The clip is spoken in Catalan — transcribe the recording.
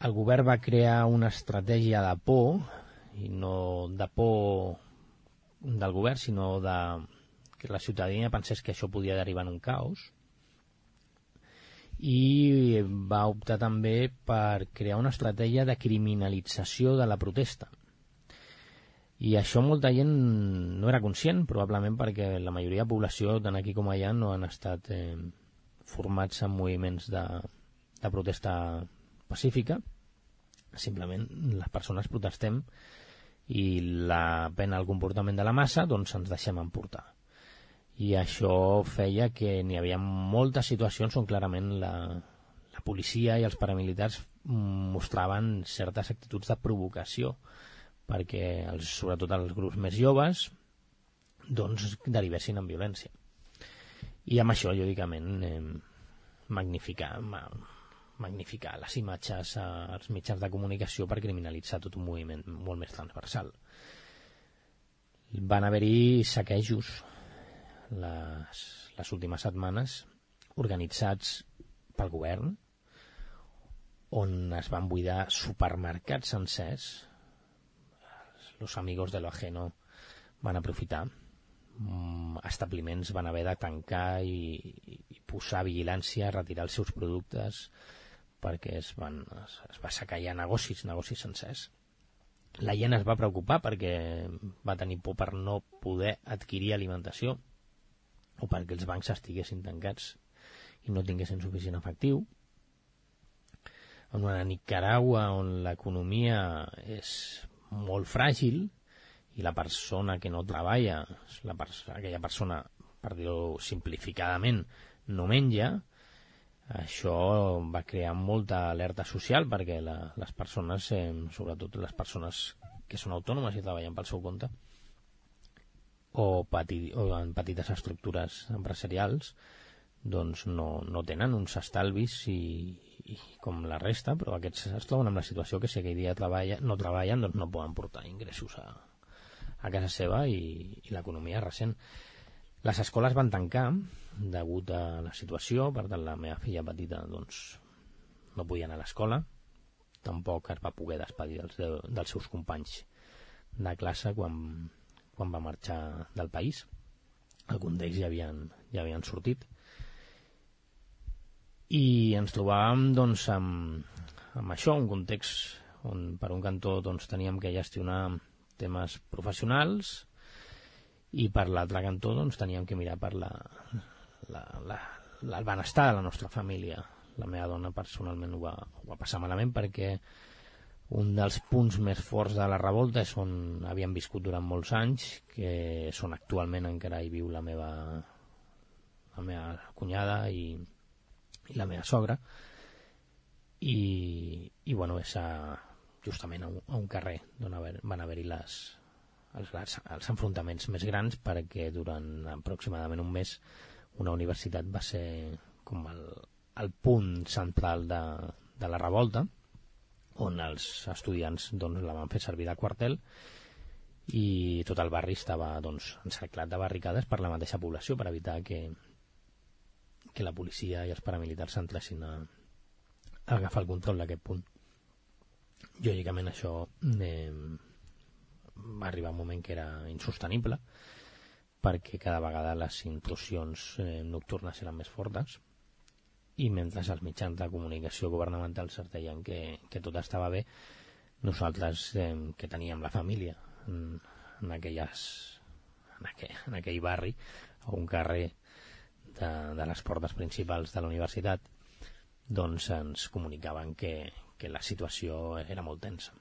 el govern va crear una estratègia de por, i no de por del govern, sinó de que la ciutadania pensés que això podia derivar en un caos, i va optar també per crear una estratègia de criminalització de la protesta. I això molta gent no era conscient, probablement perquè la majoria de població, tant aquí com allà, no han estat formats en moviments de protesta pacífica. Simplement les persones protestem i la pena al comportament de la massa, doncs ens deixem emportar. I això feia que n'hi havia moltes situacions on clarament la policia i els paramilitars mostraven certes actituds de provocació perquè sobretot els grups més joves doncs derivessin en violència. I amb això, lògicament, magnificar les imatges als mitjans de comunicació per criminalitzar tot un moviment molt més transversal. Van haver-hi saquejos les últimes setmanes organitzats pel govern on es van buidar supermercats sencers. Los amigos de lo ajeno van aprofitar. Establiments van haver de tancar i posar vigilància, retirar els seus productes perquè es va saquejar negocis sencers. La gent es va preocupar perquè va tenir por per no poder adquirir alimentació o perquè els bancs estiguessin tancats i no tinguessin suficient efectiu. En una Nicaragua on l'economia és molt fràgil i la persona que no treballa, aquella persona, per dir-ho simplificadament, no menja, això va crear molta alerta social perquè les persones, sobretot les persones que són autònomes i treballen pel seu compte, o en petites estructures empresarials, doncs no tenen uns estalvis i com la resta, però aquests es troben amb la situació que si aquell dia no treballen doncs no poden portar ingressos a casa seva i l'economia ressent. Les escoles van tancar degut a la situació, per tant la meva filla petita doncs no podia anar a l'escola, tampoc es va poder despedir dels seus companys de classe quan va marxar del país. Alguns d'ells ja havien sortit i ens trobàvem doncs amb això, un context on per un cantó doncs teníem que gestionar temes professionals i per l'altre cantó doncs teníem que mirar per el benestar de la nostra família. La meva dona personalment ho va passar malament perquè un dels punts més forts de la revolta és on havíem viscut durant molts anys, que són actualment encara hi viu la meva cunyada i la meva sogra, i bueno, és justament a un carrer d'on van haver-hi els enfrontaments més grans, perquè durant aproximadament un mes una universitat va ser com el punt central de la revolta, on els estudiants doncs, la van fer servir de quartel i tot el barri estava doncs, encerclat de barricades per la mateixa població per evitar que la policia i els paramilitars s'entressin a agafar el control d'aquest punt. Lògicament això va arribar un moment que era insostenible perquè cada vegada les intrusions nocturnes eren més fortes i mentre els mitjans de comunicació governamentals es deien que tot estava bé, nosaltres que teníem la família en aquell barri, a un carrer de les portes principals de la universitat, doncs ens comunicaven que la situació era molt tensa.